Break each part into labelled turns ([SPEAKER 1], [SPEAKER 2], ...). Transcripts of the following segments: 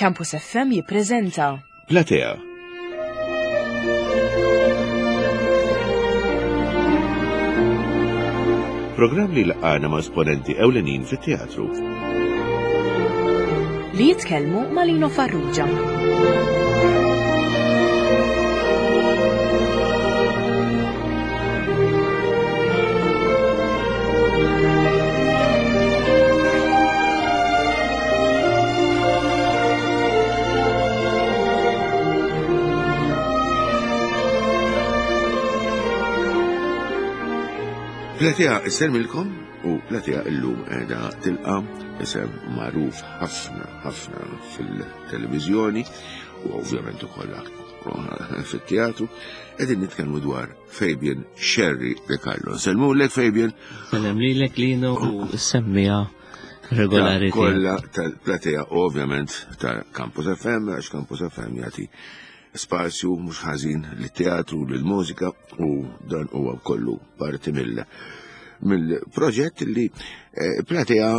[SPEAKER 1] Campus FM jippreżenta
[SPEAKER 2] Platea. Programm li laqana ma' esponenti ewlenin fit-teatru.
[SPEAKER 1] Li jitkellmu ma' Lino Farrugia.
[SPEAKER 2] Platea isselmilkom u Platea illum qiegħda tilqa' isem magħruf ħafna ħafna fil-televiżjoni u ovvjament ukoll fit-teatru qegħdin nitkellmu dwar Fabian Sherry De Carlo. Selmulek Fabian.
[SPEAKER 3] Sellem lilek Lino u semmija regolari.
[SPEAKER 2] Kolla tal-platea ovvjament ta' Campus FM, għax Campus FM jagħti spazju mhux ħażin lit-teatru, lill-mużika u dan huwa kollu parti mill mill-proġett li eh, platea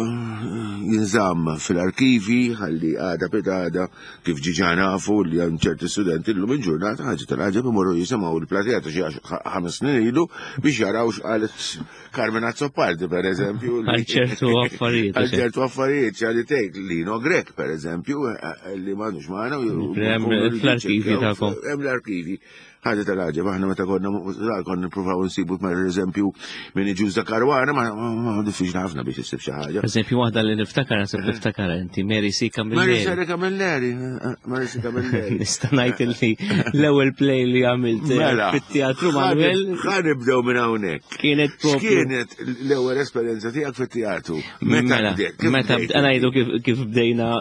[SPEAKER 2] jinżamm fil-arkivi ħalli għada pitada kif ġiġa nafu li hemm ċerti studenti llum il-ġurnata ħaġa tal-ħaġa imorru jisimgħu l-platea ta' xi ħames snin ilu biex jaraw x'qalet Carmen Azzopardi per eżempju.
[SPEAKER 3] Għal ċertu affarijiet.
[SPEAKER 2] Għal ċertu affarijiet, ċali tgħid Lino Grek per eżempju, eh, li m'għandux magħna.
[SPEAKER 3] Fl-arkivi tagħkom.
[SPEAKER 2] Hemm l-arkivi. Ħaġa tal-għaġeb, aħna meta konna żgħar konna nippruvaw nsibu per eżempju minn iġuż da Karwana, ma diffiċli ħafna biex issib xi ħaġa.
[SPEAKER 3] Eżempju waħda li niftakar nasib eh. niftakar inti Mary C. Camilleri.
[SPEAKER 2] Mary C. Camilleri, eh, eh, Mary C. Camilleri.
[SPEAKER 3] Nista' ngħid li l-ewwel play li għamilt mela, fit-teatru Manuel.
[SPEAKER 2] Ħa nibdew minn hawnhekk.
[SPEAKER 3] Kienet
[SPEAKER 2] propju. Kienet l-ewwel esperjenza tiegħek fit-teatru. Meta
[SPEAKER 3] mela,
[SPEAKER 2] bdejt?
[SPEAKER 3] Meta ngħidu kif bdejna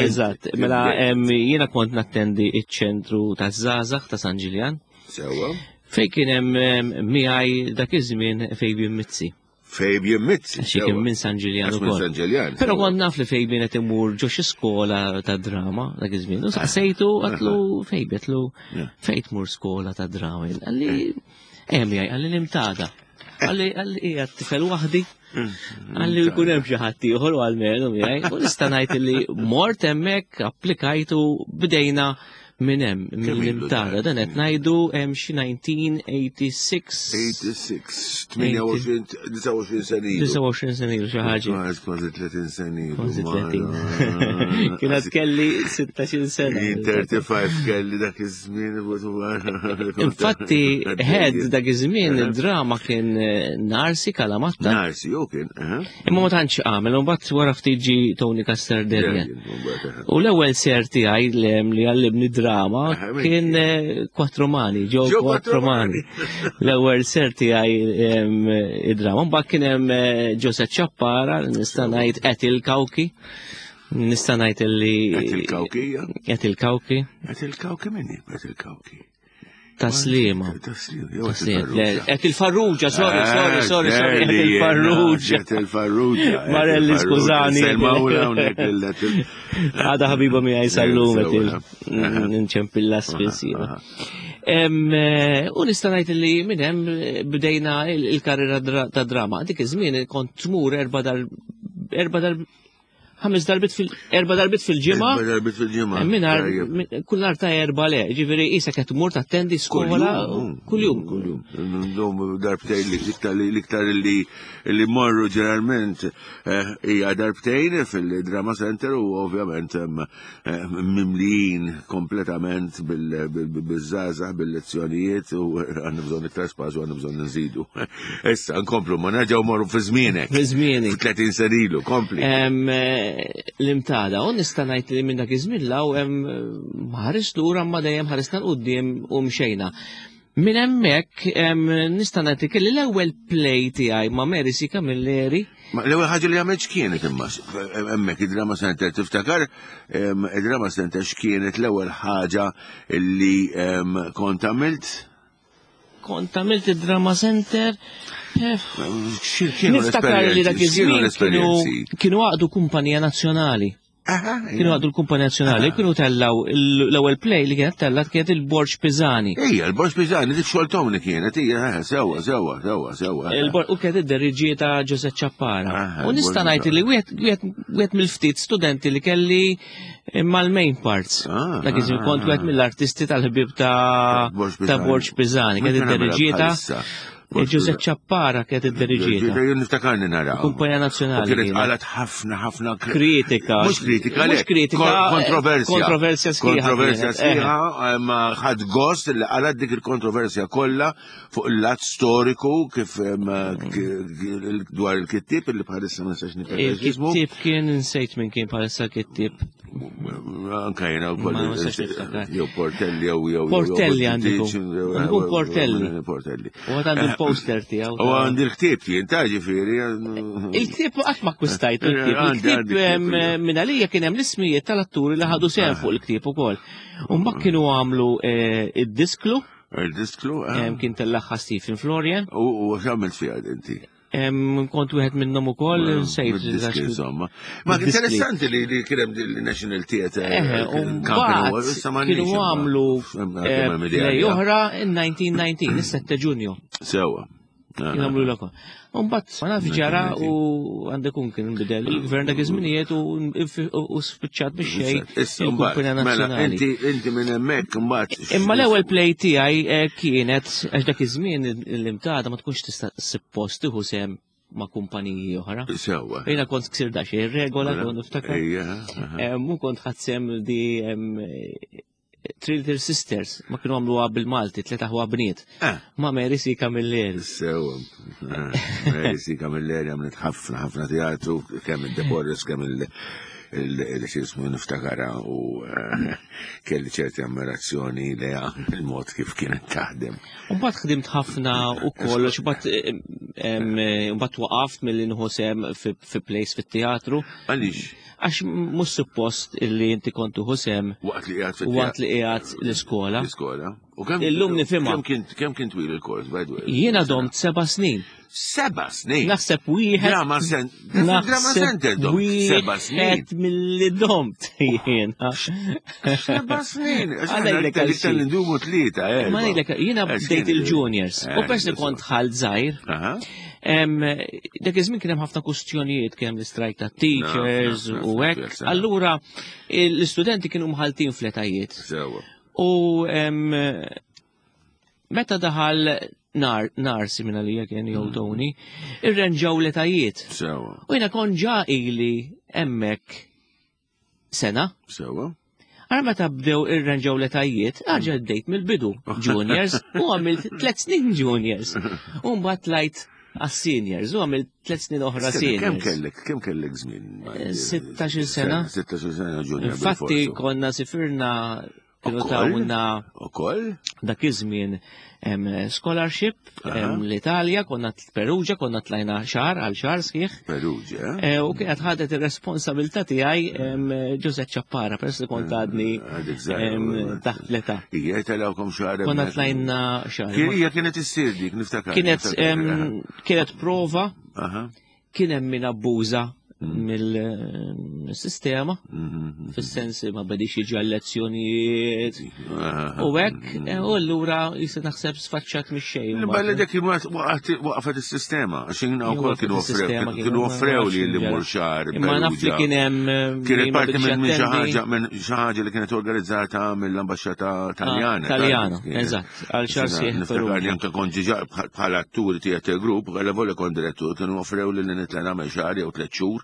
[SPEAKER 3] eżatt. Mela jiena kont nattendi iċ-ċentru taż-żgħażagħ ta' San Ġiljan.
[SPEAKER 2] Sewwa.
[SPEAKER 3] Fejn kien hemm miegħi dak iż-żmien Fabian Mizzi.
[SPEAKER 2] Fabian Mizzi.
[SPEAKER 3] Xi kien minn San Ġiljan ukoll.
[SPEAKER 2] San Ġiljan.
[SPEAKER 3] Però kont naf li Fabian qed imur ġo xi skola ta' drama dak iż-żmien. U saqsejtu għatlu Fabian għatlu fejn tmur skola ta' drama. Qalli eh miegħi qalli l-imtada. Qalli qalli qiegħed tifel waħdi. Għalli jkun hemm xi ħadd ieħor u għalmenu miegħi. U nista' ngħid li mort hemmhekk applikajtu bdejna minn hemm mill-imtara. Dan qed ngħidu hemm xi 1986.
[SPEAKER 2] 86, 28, 29 sena ilu.
[SPEAKER 3] 29 sena ilu xi ħaġa.
[SPEAKER 2] Kważi 30 sena ilu.
[SPEAKER 3] Kważi 30. Kienet kelli 16 sena.
[SPEAKER 2] 35 kelli dak iż-żmien.
[SPEAKER 3] Infatti, head dak iż-żmien id-drama kien eh, Narsi Kalamatta.
[SPEAKER 2] Narsi, u kien.
[SPEAKER 3] Imma ma tantx għamel, u mbagħad wara ftit ġi Tony Caster Derrian. U l-ewwel ser tiegħi li għallimni drama kien eh, Quattromani, ġo Quattromani. L-ewwel ser tiegħi id-drama. Mbagħad kien hemm eh, Joseph Ciappara, nista' ngħid Etil Kawki. Nista' ngħid li.
[SPEAKER 2] Qed il-Kawki,
[SPEAKER 3] Qed il-Kawki.
[SPEAKER 2] Qed il-Kawki minni, qed il-Kawki.
[SPEAKER 3] Taslima.
[SPEAKER 2] Taslima.
[SPEAKER 3] Qed il-Farrugia, sorry, eh, sorry, sorry, sorry, qed il-Farrugia.
[SPEAKER 2] Qed il-Farrugia.
[SPEAKER 3] Marelli, skużani. Għada ħabiba miegħi sallum qed il-nċempilla spiss. Eh, u nista' ngħid li minn hemm eh, bdejna il-karriera ta' drama. Dik iż-żmien kont tmur erba' dar erba' dar ħames darbit fil erba' darbit fil-ġimgħa.
[SPEAKER 2] Erba' darbit fil-ġimgħa.
[SPEAKER 3] Mingħajr kull nhar ta' erba' le, ġifieri qisek qed tmur tattendi skola kuljum.
[SPEAKER 2] Kuljum. Ndum darbtejn l-iktar li li morru ġeneralment eh, hija darbtejn fil-Drama Center u ovvjament eh, mimlijin kompletament bil-żgħażagħ bil-lezzjonijiet u għandna bżonn iktar spazju għandna bżonn nżidu. Issa nkomplu ma nerġgħu morru fi żmienek.
[SPEAKER 3] Fi żmieni.
[SPEAKER 2] 30 sena ilu, kompli.
[SPEAKER 3] Eh, l-imtada, u nista' ngħid li minn dak iż-żmien law hemm ħares lura ma dejjem ħaresna l-qudiem u mxejna. Minn hemmhekk nista' ngħid kelli l-ewwel play tiegħi ma' Mary C. Camilleri.
[SPEAKER 2] Ma l-ewwel ħaġa li għamilt x'kienet imma hemmhekk id-Drama Center tiftakar id-Drama Center x'kienet l-ewwel ħaġa li kont għamilt?
[SPEAKER 3] Kont għamilt id-Drama Center. Eh, niftakar li dak iż-żmien kienu għaqdu kumpanija nazzjonali. Kienu għadu l-Kumpanija Nazzjonali, kienu tellaw l-ewwel play li kienet tellat kienet il-Borġ Pisani.
[SPEAKER 2] Ija, il-Borġ Pisani, dik xogħol Tony kienet, ija, eh, sewwa, sewwa, sewwa, sewwa.
[SPEAKER 3] U kienet id-deriġieta Giuseppe Ciappara. U nista' ngħid li wieħed mill-ftit studenti li kelli mal-main parts. Ah, Dak iż ah, kont wieħed ah. mill-artisti tal-ħbieb ta' Borġ Pisani, kienet id-deriġieta. Giuseppe Ciappara kienet id-diriġieta.
[SPEAKER 2] Jien niftakarni nara.
[SPEAKER 3] Kumpanija Nazzjonali.
[SPEAKER 2] Kienet qalet ħafna ħafna
[SPEAKER 3] kritika.
[SPEAKER 2] Mhux kritika,
[SPEAKER 3] mhux kritika.
[SPEAKER 2] Kontroversja.
[SPEAKER 3] Kontroversja sħiħa.
[SPEAKER 2] Kontroversja sħiħa, eh, ma ħadd gost li qalet dik il-kontroversja kollha fuq il-lat storiku kif dwar il-kittib li bħalissa ma nistax
[SPEAKER 3] niftakar. Il-kittib kien insejt minn kien bħalissa l-kittib.
[SPEAKER 2] Anka jena u koll. Jew Portelli jew jew.
[SPEAKER 3] Portelli għandu. Għandu Portelli.
[SPEAKER 2] Portelli.
[SPEAKER 3] U għad għandu l-poster tiegħu.
[SPEAKER 2] U għandi l-ktieb jien ta' ġifieri.
[SPEAKER 3] Il-ktieb qatt ma akkwistajtu l-ktieb. Il-ktieb minn għalija kien hemm l-ismijiet tal-atturi li ħadu sehem fuq il-ktieb ukoll. U mbagħad kienu għamlu eh, id-disklu.
[SPEAKER 2] Il-disklu?
[SPEAKER 3] Eh. Kien tellaħħa Stephen Florian.
[SPEAKER 2] U x'għamilt fiha inti?
[SPEAKER 3] Kont wieħed minnhom ukoll sejt.
[SPEAKER 2] Insomma. Ma interessanti li li kien hemm il-National Theatre.
[SPEAKER 3] Eh, kienu għamlu eh, play oħra in 1919, is-7 Ġunju.
[SPEAKER 2] Sewa.
[SPEAKER 3] Kienu għamlu l Mbagħad ma nafx ġara u għandek un kien bidel il-gvern dak iż-żminijiet u spiċċat biex xejn il-Kumpanija
[SPEAKER 2] mela,
[SPEAKER 3] Nazzjonali.
[SPEAKER 2] Inti minn hemmhekk imbagħad.
[SPEAKER 3] Imma l-ewwel play tiegħi eh, kienet għax dak iż-żmien l-imtada ma tkunx tista' suppost tieħu sehem ma' kumpaniji oħra.
[SPEAKER 2] Sewwa.
[SPEAKER 3] Jiena kont ksir daxxejn regola kont niftakar. Eh, mu kont ħadd sehem di Three Little Sisters, ma kienu għamluha bil-Malti, tliet aħwa bniet. Eh. Ma Mary C. Camilleri.
[SPEAKER 2] Sewa. Eh, Mary C. Camilleri għamlet ħafna, ħafna teatru, kemm il-Deborris, kemm il- il-xismu niftakara u eh, kelli ċerti ammirazzjoni leja il-mod kif kienet taħdem.
[SPEAKER 3] Umbat ħdimt ħafna u kollox, umbat waqaft mill-li nħosem fi place fit-teatru.
[SPEAKER 2] Għalix?
[SPEAKER 3] Għax mhux suppost illi inti kont tuħu sehem
[SPEAKER 2] waqt li qiegħed
[SPEAKER 3] waqt li qiegħed l-iskola.
[SPEAKER 2] L-iskola.
[SPEAKER 3] U kemm illum nifhimha.
[SPEAKER 2] Kemm kien twil il-kors by the way?
[SPEAKER 3] Jiena domt seba' snin.
[SPEAKER 2] Seba' snin.
[SPEAKER 3] Naħseb wieħed.
[SPEAKER 2] Drama Drama center domt. Seba' snin.
[SPEAKER 3] Wieħed milli domt jiena.
[SPEAKER 2] Seba' snin. Għalhekk li ndumu tlieta.
[SPEAKER 3] Eh, Ma ngħidlek jiena bdejt il-juniors. U pers li kont ħalt żgħir. Dak iż-żmien kien hemm ħafna kustjonijiet kien hemm l-istrajk ta' teachers u hekk. Allura l-istudenti kienu mħaltin fl-etajiet. U meta daħal nar narsi minn għalija kien jew mm. Tony, irrenġaw l-etajiet. U jiena kon ġa ili hemmhekk sena.
[SPEAKER 2] Sewa.
[SPEAKER 3] Għara meta bdew irranġaw l-etajiet, għarġa bdejt mill-bidu juniors u għamilt tlet snin juniors. U mbagħad tlajt għas-seniors u għamilt tlet snin oħra seniors.
[SPEAKER 2] Kemm kellek, kemm kellek żmien?
[SPEAKER 3] 16 eh, sena.
[SPEAKER 2] 16 sena junior.
[SPEAKER 3] Infatti konna sifirna kienu tawna
[SPEAKER 2] Ukoll?
[SPEAKER 3] Dak iż-żmien scholarship l-Italja, konna Perugia, konna tlajna xahar għal xahar sħiħ.
[SPEAKER 2] Perugia.
[SPEAKER 3] Eh, u kienet ħadet ir-responsabilità tiegħi Giuseppe Ciappara, peress li kont eh, għadni taħt l-età.
[SPEAKER 2] Ija telawkom xahar.
[SPEAKER 3] Konna tlajna xahar.
[SPEAKER 2] Hija kienet issir dik, niftakar.
[SPEAKER 3] Kienet kienet prova. Kien hemm min abbuża mill-sistema, mm-hmm. fis-sens ma bedix jiġi għal-lezzjonijiet. U hekk, eh, u allura jista' naħseb sfaċċat mix-xejn.
[SPEAKER 2] Bella dik waqfet is-sistema, għax jiena wkoll kienu kienu offrew li li mur xahar.
[SPEAKER 3] Imma naf li kien hemm eh,
[SPEAKER 2] kienet parti minn xi ħaġa minn xi ħaġa li kienet organizzata mill-ambaxxata ah, Taljana.
[SPEAKER 3] Taljana, eżatt. Għal xar sieħ.
[SPEAKER 2] Niftakar li anke kont ġiġa bħala attur theater group, għala volja kont direttur, kienu offrew li nitla nagħmel xahar jew tliet xhur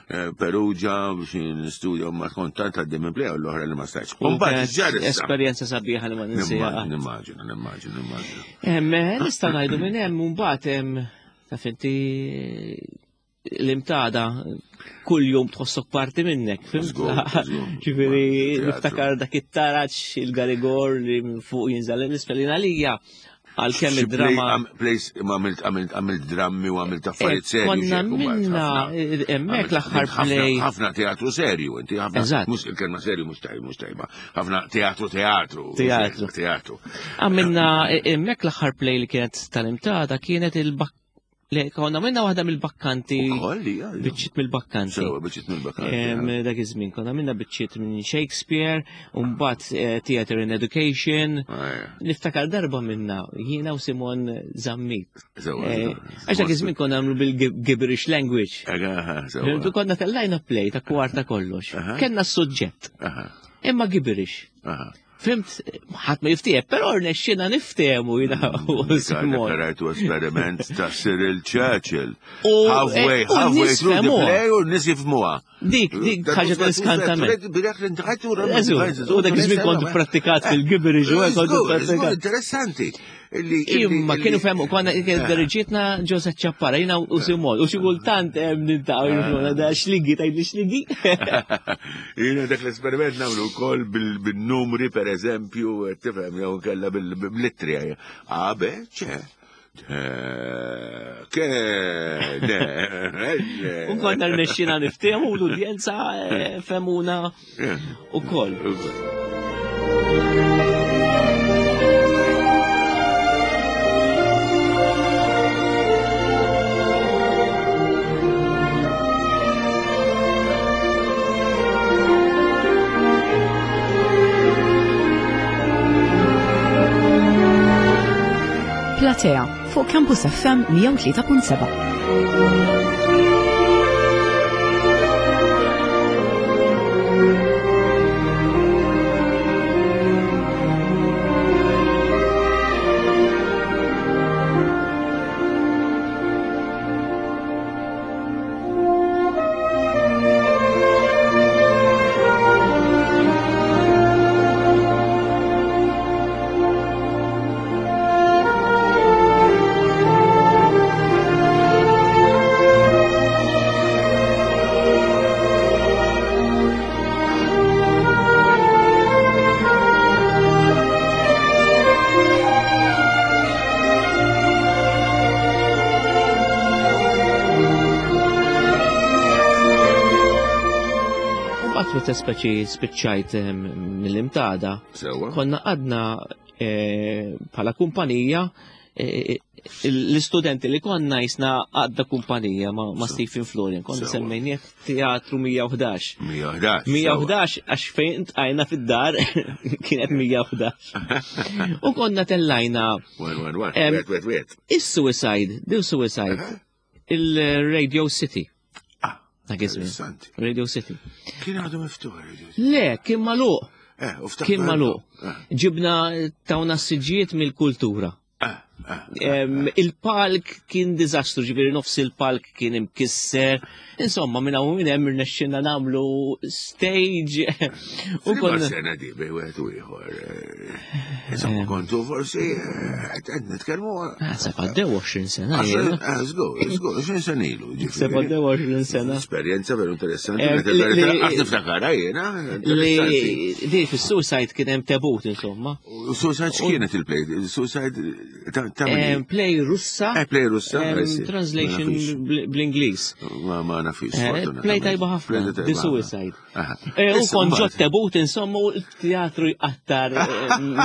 [SPEAKER 2] eh, Perugia biex nistudja ma kont tant għaddi minn play l-oħra li ma stajtx.
[SPEAKER 3] Mbagħad ġar Esperjenza sabiħa li ma ninsiha.
[SPEAKER 2] Nimmaġina, nimmaġina, nimmaġina.
[SPEAKER 3] Eh, nista' ngħidu minn hemm mbagħad hemm taf inti l-imtada kull jum tħossok parti minnek, fimt? Ġifieri niftakar dak it-taraġ il-garigor li minn fuq jinżal l-isfel għalija għal-kemm id-drama.
[SPEAKER 2] Place għamilt għamilt għamilt drammi u għamilt affarijiet eh, serju.
[SPEAKER 3] Konna minna eh, hemmhekk l-aħħar play.
[SPEAKER 2] Ħafna teatru serju, inti ħafna. Mhux il-kelma serju mhux tajba, mhux tajba. Ħafna teatru teatru.
[SPEAKER 3] Teatru.
[SPEAKER 2] Teatru.
[SPEAKER 3] Għamilna eh, hemmhekk l-aħħar play li kienet tal-imtada kienet il-bak. Le, konna minna waħda mill-bakkanti.
[SPEAKER 2] Ukoll, hija.
[SPEAKER 3] Biċċiet mill-bakkanti.
[SPEAKER 2] Sewa, biċċiet mill-bakkanti.
[SPEAKER 3] Dak iż-żmien konna minna biċċiet minn Shakespeare, u mbagħad eh, Theater in Education.
[SPEAKER 2] Ah,
[SPEAKER 3] Niftakar darba minna, jiena u Simon Zammit.
[SPEAKER 2] Sewa.
[SPEAKER 3] Eh, għax dak iż-żmien konna nagħmlu bil-gibberish language. Konna tellajna play ta' kwarta kollox. Kenna s-suġġett. Imma gibberish. Fimt, ħadd ma jiftiehem, però rnexxina niftehmu jiena u
[SPEAKER 2] Simon. Rajtu esperiment ta' Cyril Churchill. Halfway, eh, halfway through the play u nies jifhmuha.
[SPEAKER 3] Dik, dik ħaġa ta' iskantament. U dak iż-żmien kont prattikat fil-gibri ġu, kont
[SPEAKER 2] prattikat. Interessanti.
[SPEAKER 3] Imma kienu fehmu, konna kien diriġietna Joseph Ċappara, jiena u Simon, u xi kultant hemm niltaqgħu jifhmuna da xligi tgħidli xligi.
[SPEAKER 2] Jiena dak l-esperiment nagħmlu wkoll bil-numri pereżempju, tifhem jew kella bil-littri. A, B, C. K, D,
[SPEAKER 3] L. U konna rnexxina niftehmu l-udjenza eh, femuna ukoll.
[SPEAKER 1] Platea fuq Campus FM 103.7.
[SPEAKER 3] Mbagħad meta speċi spiċċajt ehm, mill-imtada, konna għadna eh, bħala kumpanija eh, l-istudenti li konna jisna għadda kumpanija ma, ma Stephen Florian, konna semmejnieh Teatru 111.
[SPEAKER 2] 111.
[SPEAKER 3] 111 għax fejn tqajna fid-dar kienet 111. U konna tellajna. Is-suicide, dil suicide, il-Radio City.
[SPEAKER 2] Ah,
[SPEAKER 3] Radio City.
[SPEAKER 2] Kien għadu miftuħ Radio City.
[SPEAKER 3] Le, kien maluq.
[SPEAKER 2] Eh,
[SPEAKER 3] kien maluq. Eh. Ġibna tawna s-siġijiet mill-kultura. Il-palk kien diżastru, ġifieri nofs il-palk kien imkisser. Insomma, minn hawn minn hemm irnexxinna nagħmlu stage.
[SPEAKER 2] U konna sena di bej wieħed u ieħor. Eh, insomma, kontu forsi eh, qed nitkellmu.
[SPEAKER 3] Ah, se għaddew 20 sena.
[SPEAKER 2] Żgur, żgur, 20 sena ilu.
[SPEAKER 3] Se għaddew 20 sena.
[SPEAKER 2] Esperjenza veru interessanti. Qatt niftakarha jiena.
[SPEAKER 3] Li di fis-suicide kien hemm tebut insomma.
[SPEAKER 2] Suicide x'kienet il-play? Suicide ta'
[SPEAKER 3] Play Russa.
[SPEAKER 2] Eh, play Russa.
[SPEAKER 3] Translation bl-Ingliż.
[SPEAKER 2] Ma ma nafix.
[SPEAKER 3] Eh, play tajba ħafna. The Suicide. Eh, u kon ġot tebut insomma u teatru jqattar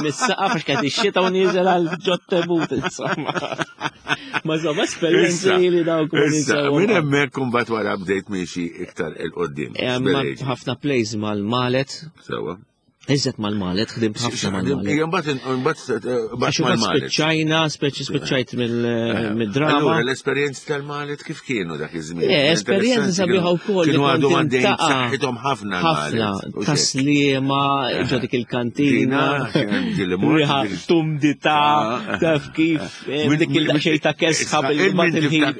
[SPEAKER 3] mis-saqaf għax kienet ix-xita u nieżel għal ġot tebut insomma. Ma insomma esperjenzi li dawk.
[SPEAKER 2] Issa, minn hemmhekk kumbat wara bdejt miexi iktar il-qoddim.
[SPEAKER 3] Ħafna plays mal-malet.
[SPEAKER 2] Sewa.
[SPEAKER 3] Iżet mal-malet, ħdimt ħafna mal-malet.
[SPEAKER 2] Ija, mbagħad mbagħad
[SPEAKER 3] Għax mal-malet. Spiċċajna, speċi spiċċajt eh, mill-drama.
[SPEAKER 2] Allura l-esperjenzi tal-malet kif kienu dak iż-żmien?
[SPEAKER 3] Eh, esperjenzi sabiħa wkoll.
[SPEAKER 2] Kienu għadhom għaddejn saħħithom ħafna.
[SPEAKER 3] Ħafna, taslima, eh. ġo dik il-kantina. Riħa tumdita, ah. taf kif, dik il-xej ta' kesħa
[SPEAKER 2] bil-ħin.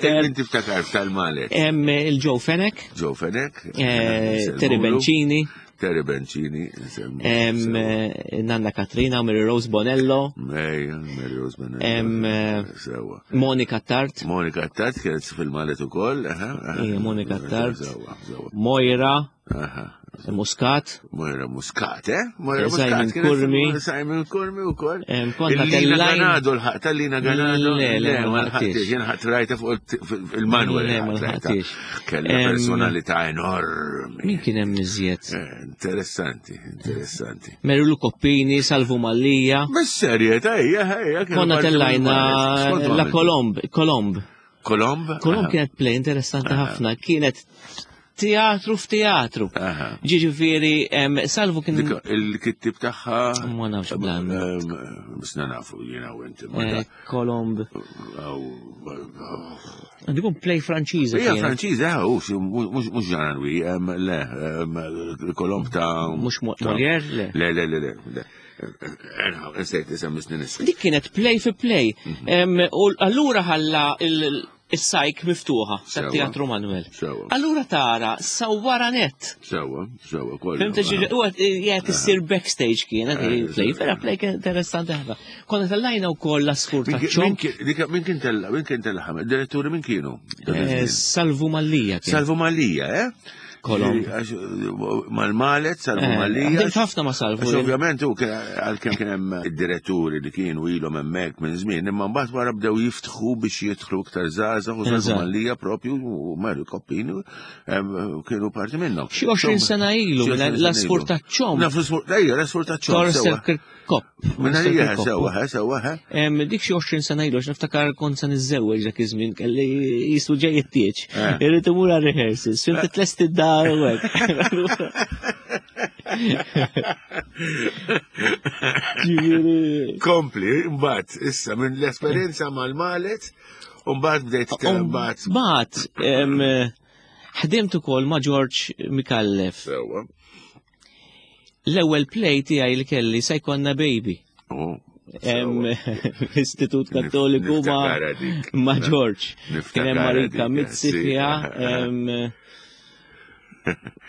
[SPEAKER 2] Min tiftakar tal-malet?
[SPEAKER 3] Il-Joe Fenek.
[SPEAKER 2] Joe Fenek.
[SPEAKER 3] Terry Bencini.
[SPEAKER 2] Terry Bencini.
[SPEAKER 3] Eh, Nanna Katrina, Mary Rose Bonello.
[SPEAKER 2] Ejja, Mary Rose Bonello.
[SPEAKER 3] Eh, Sewa. Monica Tart.
[SPEAKER 2] Monica Tart kienet fil-malet ukoll.
[SPEAKER 3] Monica Tart. Moira. Muscat.
[SPEAKER 2] Moira Muscat, eh? Moira
[SPEAKER 3] Muscat. Simon Kurmi.
[SPEAKER 2] Simon Kurmi u koll.
[SPEAKER 3] Konna tellajn.
[SPEAKER 2] Ganado, l-ħaq tal-Lina Ganado.
[SPEAKER 3] Le, le, ma ħaqtix.
[SPEAKER 2] Jien ħadd rajta fuq il-manuel.
[SPEAKER 3] Le, ma ħaqtix.
[SPEAKER 2] Kellha personalità enormi.
[SPEAKER 3] Min kien hemm iżjed?
[SPEAKER 2] Eh, interessanti, interessanti.
[SPEAKER 3] Merilu Koppini, Salvu Mallija.
[SPEAKER 2] Bis-serjetà, ejja, ejja.
[SPEAKER 3] Konna tellajna la Kolomb, Kolomb.
[SPEAKER 2] Kolomb?
[SPEAKER 3] Kolomb kienet play interessanti ħafna, kienet teatru f'teatru. Ġiġifieri, Salvu kien.
[SPEAKER 2] Il-kittib tagħha.
[SPEAKER 3] Ma nafx blan.
[SPEAKER 2] Misna nafu jiena u inti.
[SPEAKER 3] Eh, Kolomb. Dikun play Franċiża.
[SPEAKER 2] Ija Franċiża, eh, mhux Jean Louis, le, Kolomb ta'.
[SPEAKER 3] Mhux Molière, le.
[SPEAKER 2] Le, le, le, le. Nsejt isem snin issa.
[SPEAKER 3] Dik kienet play fi play. Mhm. U allura ħalla il-sajk miftuħa tat-Teatru Manuel. Allura tara sawwara net.
[SPEAKER 2] Sewa, sewa, kollu.
[SPEAKER 3] Fimta ġiġi, u jgħet issir backstage kienet eh, play, vera play kien interessanti ħafna. Konna tellajna wkoll l-asfur ta' ċomp.
[SPEAKER 2] Min kien tella, min kien tella ħamed, diretturi min kienu?
[SPEAKER 3] Eh, Salvu Mallija.
[SPEAKER 2] Salvu Mallija, eh?
[SPEAKER 3] Kolom.
[SPEAKER 2] Mal-malet, salvu eh, malija.
[SPEAKER 3] Għadimt ħafna ma salvu.
[SPEAKER 2] Ovvjament, u għal-kem kien hemm id-diretturi li kienu ilhom hemmhekk minn żmien, imma mbagħad wara bdew jiftħu biex jidħlu iktar żgħażagħ u salvu malija propju u Mario Koppini kienu parti minnhom.
[SPEAKER 3] Xi 20 sena ilu, l-asfur taċ-ċom.
[SPEAKER 2] L-asfur taċ-ċom.
[SPEAKER 3] Kopp.
[SPEAKER 2] Minna hija sewa, sewa,
[SPEAKER 3] Dik xi 20 sena ilu, niftakar kont se niżżewweġ dak iż-żmien kelli jisu ġej it-tieġ. Eh. Irrid imur għal rehearsals, fim titlest id-dar u hekk.
[SPEAKER 2] Kompli, mbagħad issa minn l-esperjenza mal-malet, u mbagħad bdejt mbagħad.
[SPEAKER 3] Mbagħad ħdimt ukoll ma' George Mikallef.
[SPEAKER 2] Sewa.
[SPEAKER 3] L-ewwel play tiegħi li kelli se jkollna baby.
[SPEAKER 2] Oh,
[SPEAKER 3] Istitut Kattoliku ma' ma' George. Kien hemm Marika Mizzi fiha.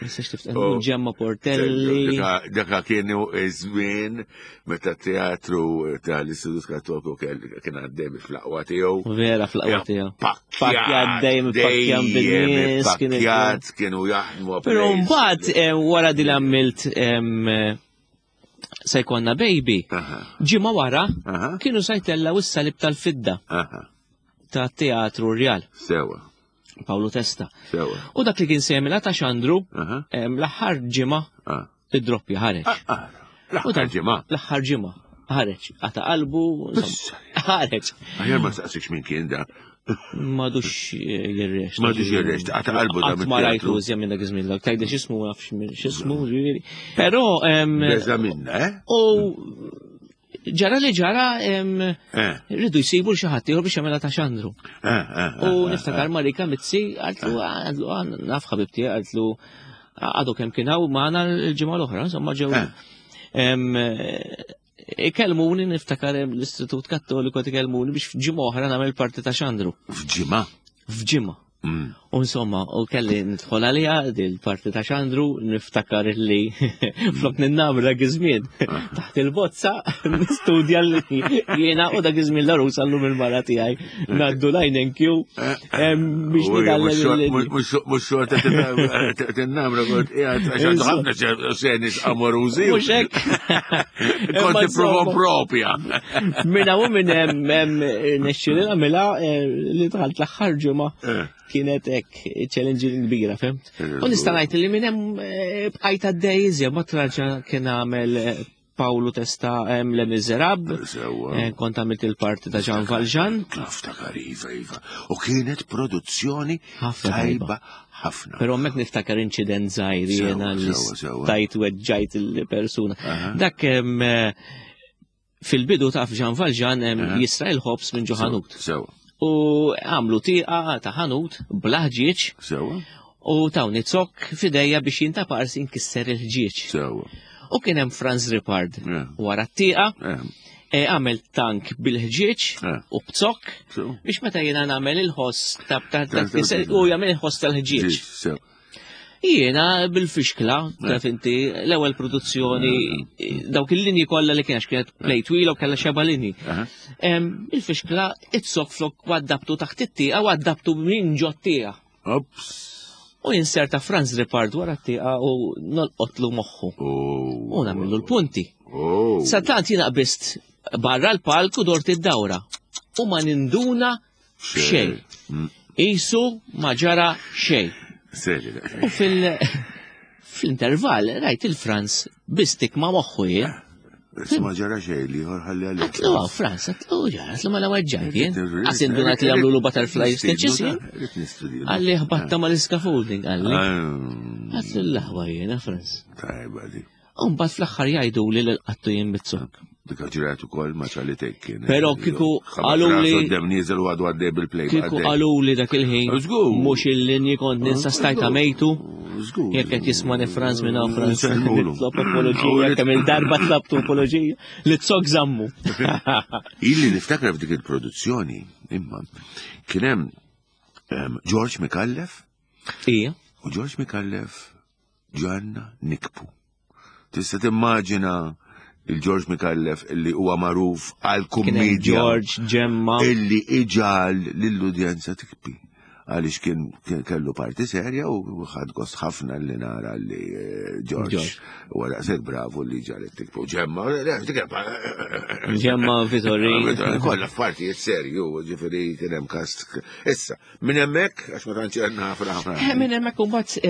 [SPEAKER 3] Nistax tiftakar oh. Ġemma Portelli.
[SPEAKER 2] Daka kienu iż-żmien meta teatru tal-Istitut Kattoliku kien għaddej fl-aqwa tiegħu.
[SPEAKER 3] Vera fl-aqwa tiegħu.
[SPEAKER 2] Pakkjat
[SPEAKER 3] dejjem pakkjat bin-nies.
[SPEAKER 2] Pakkjat kienu jaħdmu.
[SPEAKER 3] Però mbagħad eh, wara din għamilt se jkollna baby. Ġimgħa wara kienu se jtellaw is-salib tal-fidda ta' teatru Rjal.
[SPEAKER 2] Sewa.
[SPEAKER 3] Paolo Testa.
[SPEAKER 2] Sewa.
[SPEAKER 3] U dak li kien se jagħmilha ta' Xandru l-aħħar ġimgħa
[SPEAKER 2] ah.
[SPEAKER 3] id-droppja ħareġ.
[SPEAKER 2] Ah, ah. L-aħħar ġimgħa.
[SPEAKER 3] L-aħħar ġimgħa ħareġ, għata qalbu, ħareġ.
[SPEAKER 2] Aħjar ma saqsix minn kien da.
[SPEAKER 3] Madux jirrex.
[SPEAKER 2] Madux jirrex, għata qalbu
[SPEAKER 3] da. Ma rajtu użja minn dak iż-żmien, dak tajda x'ismu nafx x'ismu, ġifieri. Però.
[SPEAKER 2] Beża minna, eh?
[SPEAKER 3] U ġara li ġara eh. rridu jsibu xi ħadd ieħor biex jagħmilha ta' xandru.
[SPEAKER 2] Eh, eh,
[SPEAKER 3] u niftakar Marika Mizzi għaltlu għaltlu naf ħabibti għaltlu għadu kemm kien hawn magħna l-ġimgħa l-oħra, insomma ġew. Ikellmuni niftakar l-Istitut Kattoliku ikellmuni biex f'ġimgħa oħra nagħmel parti ta' xandru.
[SPEAKER 2] F'ġimgħa?
[SPEAKER 3] F'ġimgħa. Mm. U insomma, u kelli nidħol għalija dil-parti ta' xandru, niftakar li flok ninnamra gizmin ah. taħt il-bozza, nistudja li jiena u da gizmin l-arus għallum il-mara tiegħi ngħaddu lajn NQ biex
[SPEAKER 2] nitgħallem. Mhux xorta tinnamra kont qiegħed għax għandu ħafna seni amorużi.
[SPEAKER 3] Mhux hekk.
[SPEAKER 2] Kont tipprova propja.
[SPEAKER 3] Minna u minn hemm nexxieli nagħmilha eh, li dħalt l-aħħar ġimgħa eh. kienet hekk challenge kbira, fimt? Eh, u nista' ngħid li minn hemm bqajt għaddej iżjed ma traġa kien għamel Paolo Testa Le Miserab, kont għamilt il-parti ta' Jean Valjean.
[SPEAKER 2] Niftakar iva, iva. U kienet produzzjoni tajba ħafna.
[SPEAKER 3] Però hemmhekk niftakar inċident żgħir jiena li stajt weġġajt il-persuna. Dak fil-bidu taf Jean Valjean jisra il-ħobs minn ġo ħanut. U għamlu tieqa ta' ħanut bla ħġieġ. U tawni zokk f'idejja biex jintaparsi nkisser il-ħġieġ. U kien hemm Franz Ripard wara t-tieqa. Eh, għamel tank bil-ħġieġ eh. u b'zokk biex meta jiena nagħmel il-ħoss ta' u jagħmel il-ħoss tal-ħġieġ. Jiena bil-fixkla, taf inti, l-ewwel produzzjoni, dawk il-linji kollha li kienax kienet play twila u kellha xeba linji. Il-fixkla it-zokk flok waddabtu taħt it-tieqa waddabtu minn ġot-tieqa.
[SPEAKER 2] Ops.
[SPEAKER 3] U jinserta Franz Ripard wara t-tieqa u nolqotlu moħħu.
[SPEAKER 2] Oh.
[SPEAKER 3] U nagħmillu l-punti.
[SPEAKER 2] Oh.
[SPEAKER 3] Satant jiena qbist barra l-palk u dort id-dawra. U ma ninduna xejn. Mm. Isu ma ġara xejn. U fil- fl-intervall rajt il-Franz bistik ma moħħu jien.
[SPEAKER 2] Ma ġara xejn li ieħor ħalli għalik.
[SPEAKER 3] Għatlu għaw, Franz, għatlu ġara, għatlu ma l-għagġajt jien. Għas indunat li għamlu l-butterfly stitches jien. Għalli ħbatta ma l-scaffolding, għalli. Ah. Għatlu l-laħwa jiena, Franz.
[SPEAKER 2] Tajba di.
[SPEAKER 3] Umbat fl-axħar jgħidu li l-qattu jien bizzok.
[SPEAKER 2] Dik ġrat ukoll ma ċalli kien.
[SPEAKER 3] Però kieku qalu li.
[SPEAKER 2] Dem nieżel u għadu għaddej bil-play.
[SPEAKER 3] Kieku qalu li dak il-ħin. Mhux il-linji kont ninsa stajta mejtu. Jekk qed jismani Franz minn hawn Franz. Nitlob apoloġija kemm il-darba tlabtu apoloġija li tsok żammu.
[SPEAKER 2] Illi niftakar f'dik il-produzzjoni imma kien hemm ehm, George Mikallef.
[SPEAKER 3] Ija.
[SPEAKER 2] U George Mikallef ġanna nikbu. Tista' timmaġina il-George Mikallef illi huwa magħruf għal kummedja.
[SPEAKER 3] George Ġemma.
[SPEAKER 2] Illi iġal lill-udjenza tikbi. Għaliex kien kellu parti serja u ħad gost ħafna li nara li eh, George u daqshekk bravu li ġalet tikbu. Ġemma,
[SPEAKER 3] Ġemma Vittori.
[SPEAKER 2] Kollha f'partijiet serju, ġifieri kien hemm kast. Issa, Minn hemmhekk, għax ma tantx għandna ħafna ħafna.
[SPEAKER 3] Eh, minn hemmhekk imbagħad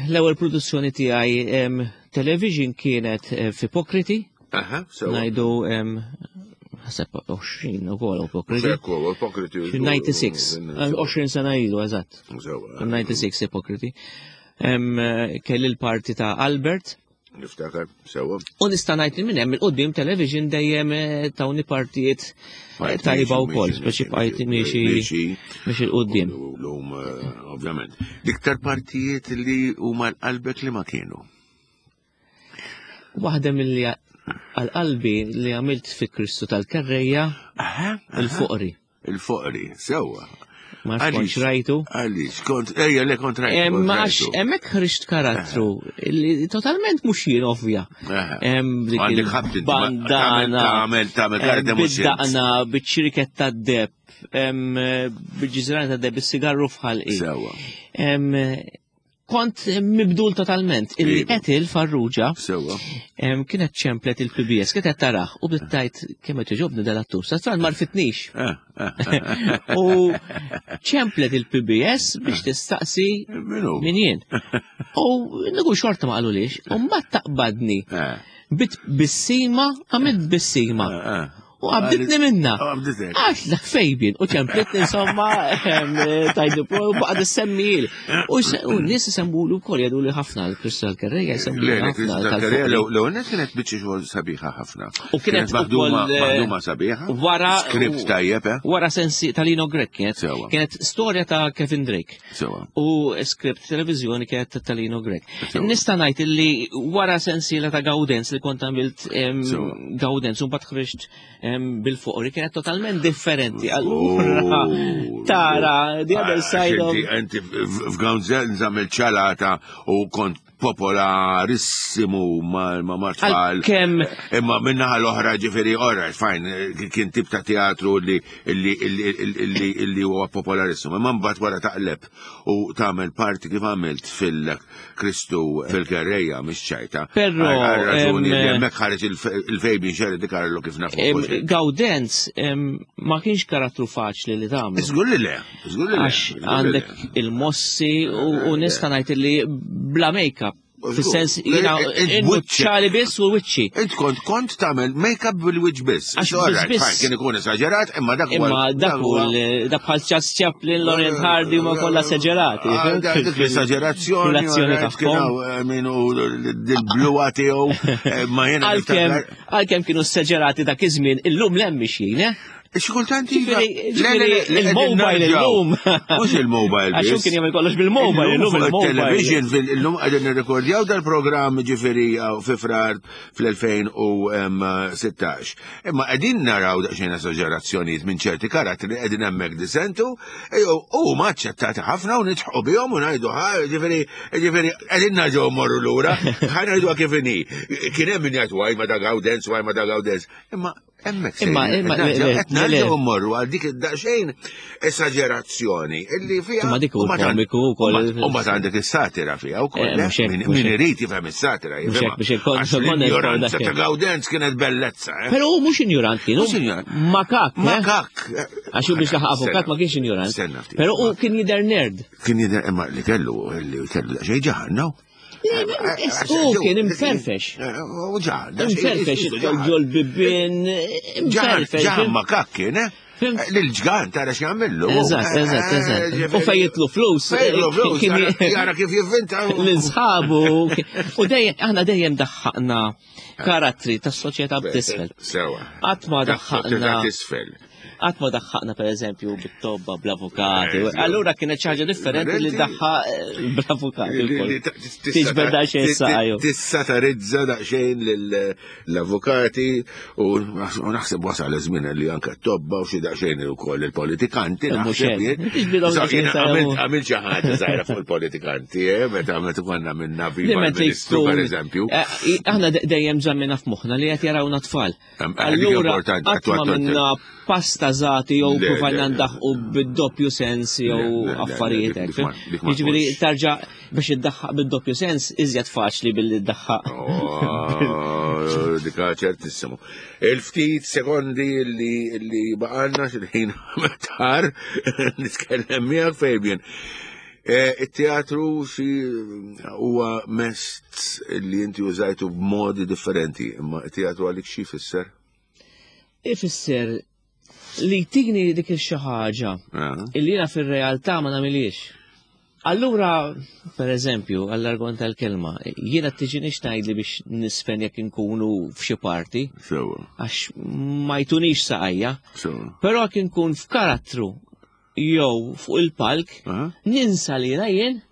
[SPEAKER 3] l-ewwel produzzjoni tiegħi television kienet eh, f'Ipokriti.
[SPEAKER 2] Aha, sewa.
[SPEAKER 3] Ngħidu ħaseb 20 ukoll Ipokriti.
[SPEAKER 2] Ekku, Ipokriti.
[SPEAKER 3] 96, 20 eh, sena ilu eżatt. 96 Ipokriti. Kelli l-parti ta' Albert.
[SPEAKER 2] Niftakar, sewa.
[SPEAKER 3] U nista' ngħid li minn hemm il-qudiem television dejjem eh, tawni partijiet eh, tajba wkoll, speċi bqajt miexi miexi il-qudiem.
[SPEAKER 2] Lum, eh, ovvjament. L-iktar partijiet li huma l-qalbek li ma kienu.
[SPEAKER 3] Waħda mill-li għal-qalbi li għamilt fi Kristu tal-Kerreja il-fuqri.
[SPEAKER 2] Il-foqri, sewwa.
[SPEAKER 3] Ma kontx rajtu.
[SPEAKER 2] Għaliex, kont, ejja, le kont rajtu.
[SPEAKER 3] Ma għax, emmek ħriġt karattru li totalment mux jien ovvja.
[SPEAKER 2] Bandana. Tagħmel, tagħmel, tagħmel.
[SPEAKER 3] Bid-daqna, biċ-ċirket ta' deb, bil-ġizran ta' deb, bis-sigarru fħalqi.
[SPEAKER 2] Sewwa.
[SPEAKER 3] Kont mibdul totalment. Illi Etil Farrugia kienet ċemplet il-PBS, kienet taraħ u bdiet tajt kemm qed jogħġobni dal-attur. Sa tran marfitnix.
[SPEAKER 2] Eh, eh,
[SPEAKER 3] eh. U ċemplet il-PBS biex tistaqsi min jien. U nigu xorta ma qalulix, u mbagħad taqbadni. Bit bissima, għamilt bissima. U għabditni minna. Għax dak fejbin. U ċemplitni insomma, tajdu pro, u baqad semmil. U n-nis semmulu kol jadu li ħafna l-Kristal Kerreja jsemmu
[SPEAKER 2] ħafna. Kristal Kerreja l-ewwel kienet biċċa xogħol sabiħa ħafna.
[SPEAKER 3] U kienet
[SPEAKER 2] maħduma sabiħa.
[SPEAKER 3] Wara.
[SPEAKER 2] Skript tajjeb, eh?
[SPEAKER 3] Wara sensi tal-Lino Grek kienet. Kienet storja ta' Kevin Drake.
[SPEAKER 2] Sewa.
[SPEAKER 3] U skript televizjoni kienet ta' Talino Grek. Nista' ngħid illi wara sensiela ta' Gaudens li kont għamilt Gaudens u mbagħad ħriġt bil-fuqri kienet totalment differenti. Allura tara the other side of.
[SPEAKER 2] Inti f'Gaudens għamilt ċalata u kont popolarissimu ma' ma' tfal.
[SPEAKER 3] Kemm.
[SPEAKER 2] Imma minnaħa l-oħra ġifieri all right, fine, kien tip ta' teatru li li huwa popolarissimu. Imma mbagħad wara taqleb u tagħmel parti kif għamilt fil-Kristu fil-Kerreja mhix ċajta.
[SPEAKER 3] Però
[SPEAKER 2] raġuni li hemmhekk ħareġ il-Fabian Sherry di Carlo kif nafu.
[SPEAKER 3] Gaudenz ma kienx karattru faċli li tagħmel.
[SPEAKER 2] Żgur li le.
[SPEAKER 3] Għax għandek il-mossi u nista' ngħid li bla make-up. Fis-sens jiena ċali biss u wiċċi.
[SPEAKER 2] Int kont kont tagħmel make-up bil-wiċċ biss.
[SPEAKER 3] Għax biss.
[SPEAKER 2] Kien ikun esaġerat, imma dak
[SPEAKER 3] Imma dak u dak bħal Charles Chaplin, Laurent Hardy huma kollha esaġerati.
[SPEAKER 2] Ah, dik l-esaġerazzjoni.
[SPEAKER 3] L-azzjoni tagħhom.
[SPEAKER 2] Eh, min u l-bluwa tiegħu eh, ma jiena.
[SPEAKER 3] Għalkemm kienu esaġerati dak iż-żmien, illum l-hemm mixjin, eh?
[SPEAKER 2] Xi kultant iva.
[SPEAKER 3] Il-mobile illum.
[SPEAKER 2] Mhux il-mobile.
[SPEAKER 3] Għax kien jagħmel kollox bil-mobile illum
[SPEAKER 2] il-mobile. Television illum qegħdin nirrekordjaw dal-programm ġifieri fi frar fl-2016. Imma qegħdin naraw daqsxejn esaġerazzjonijiet minn ċerti karattri qegħdin hemmhekk disentu u huma aċċettati ħafna u nidħqu bihom u ngħidu ġifieri ġifieri qegħdin narġgħu mmorru lura, ħa ngħidu kif inhi. Kien hemm min jgħid waj ma da Gawdenz, waj ma da Gawdenz. Imma Hemmhekk
[SPEAKER 3] Imma imma
[SPEAKER 2] qed nerġgħu mmorru għal dik id-daqsxejn esagerazzjoni illi fiha.
[SPEAKER 3] Imma dik huwa komiku wkoll.
[SPEAKER 2] U mbagħad għandek is-satira fiha wkoll.
[SPEAKER 3] Eh,
[SPEAKER 2] eh, min irid jifhem is-satira
[SPEAKER 3] jifhem. Biex
[SPEAKER 2] L-injoranza ta' Gawdenz kienet bellezza. Eh?
[SPEAKER 3] Però hu mhux injorant kien. Makak.
[SPEAKER 2] Makak.
[SPEAKER 3] Għax hu biex laħaq avukat ma kienx injorant. Però hu kien jidher nerd.
[SPEAKER 2] Kien jidher imma li kellu li kellu daqsxejn ġaħan, no?
[SPEAKER 3] U kien imferfex.
[SPEAKER 2] U ġa,
[SPEAKER 3] Imferfex, ġol bibien, imferfex.
[SPEAKER 2] Ġa, ma kak kien, eh? Lil-ġgan tara x'jagħmillu.
[SPEAKER 3] Eżatt, eżatt, eżatt. U fejjitlu flus.
[SPEAKER 2] Fejjitlu flus, jara kif jivvinta.
[SPEAKER 3] L-insħabu. U dejjem, aħna dejjem daħħaqna karattri tas-soċjetà b'tisfel.
[SPEAKER 2] Sewa.
[SPEAKER 3] Qatt ma daħħaqna.
[SPEAKER 2] Tisfel.
[SPEAKER 3] Qatt ma daħħaqna pereżempju bit-tobba bl-avukati. Allura kienet xi ħaġa differenti li daħħa eh, bl-avukati. Tiġbed daqsxejn saqajju.
[SPEAKER 2] Tissatarizza daqsxejn l-avukati u naħseb wasal iż-żmien li anke t-tobba u xi daqsxejn ukoll il-politikanti. Għamil xi ħaġa żgħira fuq il-politikanti, eh, meta meta konna minna viva ministru pereżempju.
[SPEAKER 3] Eh, aħna dejjem żammina f'moħħna li qed jarawna tfal. Allura, qatt ma minna pasta żati jew provajna ndaħqu bid-doppju sens jew affarijiet hekk. Jiġifieri tarġa' biex iddaħħaq bid-doppju sens iżjed faċli billi ddaħħaq.
[SPEAKER 2] Oh, dika ċertissimu. Il-ftit sekondi li baqalna xil-ħin tar nitkellem miegħek Fabian. Eh, it-teatru xi huwa mest li inti użajtu b'modi differenti, imma it-teatru għalik xi jfisser?
[SPEAKER 3] Ifisser li tini dik il-xi ħaġa ah. illi jiena fir-realtà ma nagħmilix. Allura, per eżempju, għall-argon tal-kelma, jiena tiġinix tgħidli biex nisfen jekk inkunu f'xi parti. Għax ma jtunix saqajja. Però jekk inkun f'karattru jew fuq il-palk, ninsa li jien.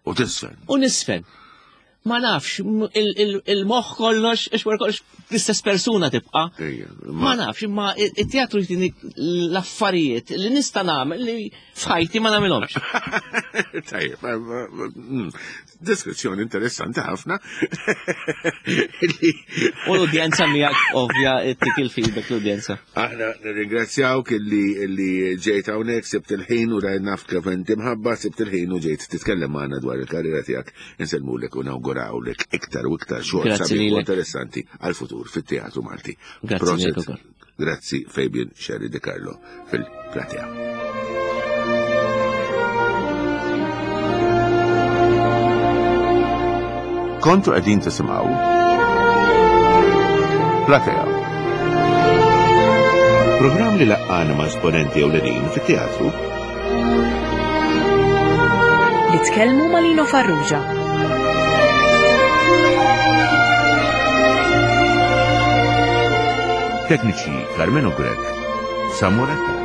[SPEAKER 2] U tisfen.
[SPEAKER 3] U nisfen. Ma nafx, il-moħ kollox, ix wara kollox l-istess persuna tibqa. Ma nafx, imma it-teatru jtini l-affarijiet li nista' nagħmel li f'ħajti ma nagħmilhomx.
[SPEAKER 2] Tajjeb, mm, Deskrizzjoni interessanti ħafna.
[SPEAKER 3] U l-udjenza miegħek ovvja tik il-feedback l-udjenza.
[SPEAKER 2] Aħna nirringrazzjawk illi illi ġejt hawnhekk sibt il-ħin u rajt naf kif inti mħabba sibt il-ħin u ġejt titkellem magħna dwar il-karriera tiegħek. Insellmulek u nawgurawlek iktar u iktar xogħol sabiħ u interessanti għall-futur fit-teatru Malti.
[SPEAKER 3] Grazzi
[SPEAKER 2] Grazzi Fabian Sherry De Carlo fil-platea.
[SPEAKER 4] Kontu qegħdin tisimgħu Platea.
[SPEAKER 2] Programm li laqqana ma' esponenti ewlenin fit-teatru
[SPEAKER 1] Li tkellmu ma' Lino Farrugia.
[SPEAKER 4] Tekniċi Carmelo Grech, Samuel Attard.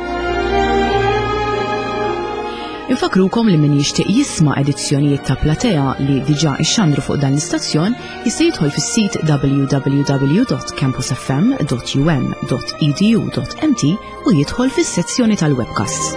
[SPEAKER 1] Infakrukom li min jixtieq jisma' edizzjonijiet ta' Platea li diġà ixxandru fuq dan l-istazzjon jista' jidħol fis-sit www.campusfm.um.edu.mt u jidħol fis-sezzjoni tal-webcasts.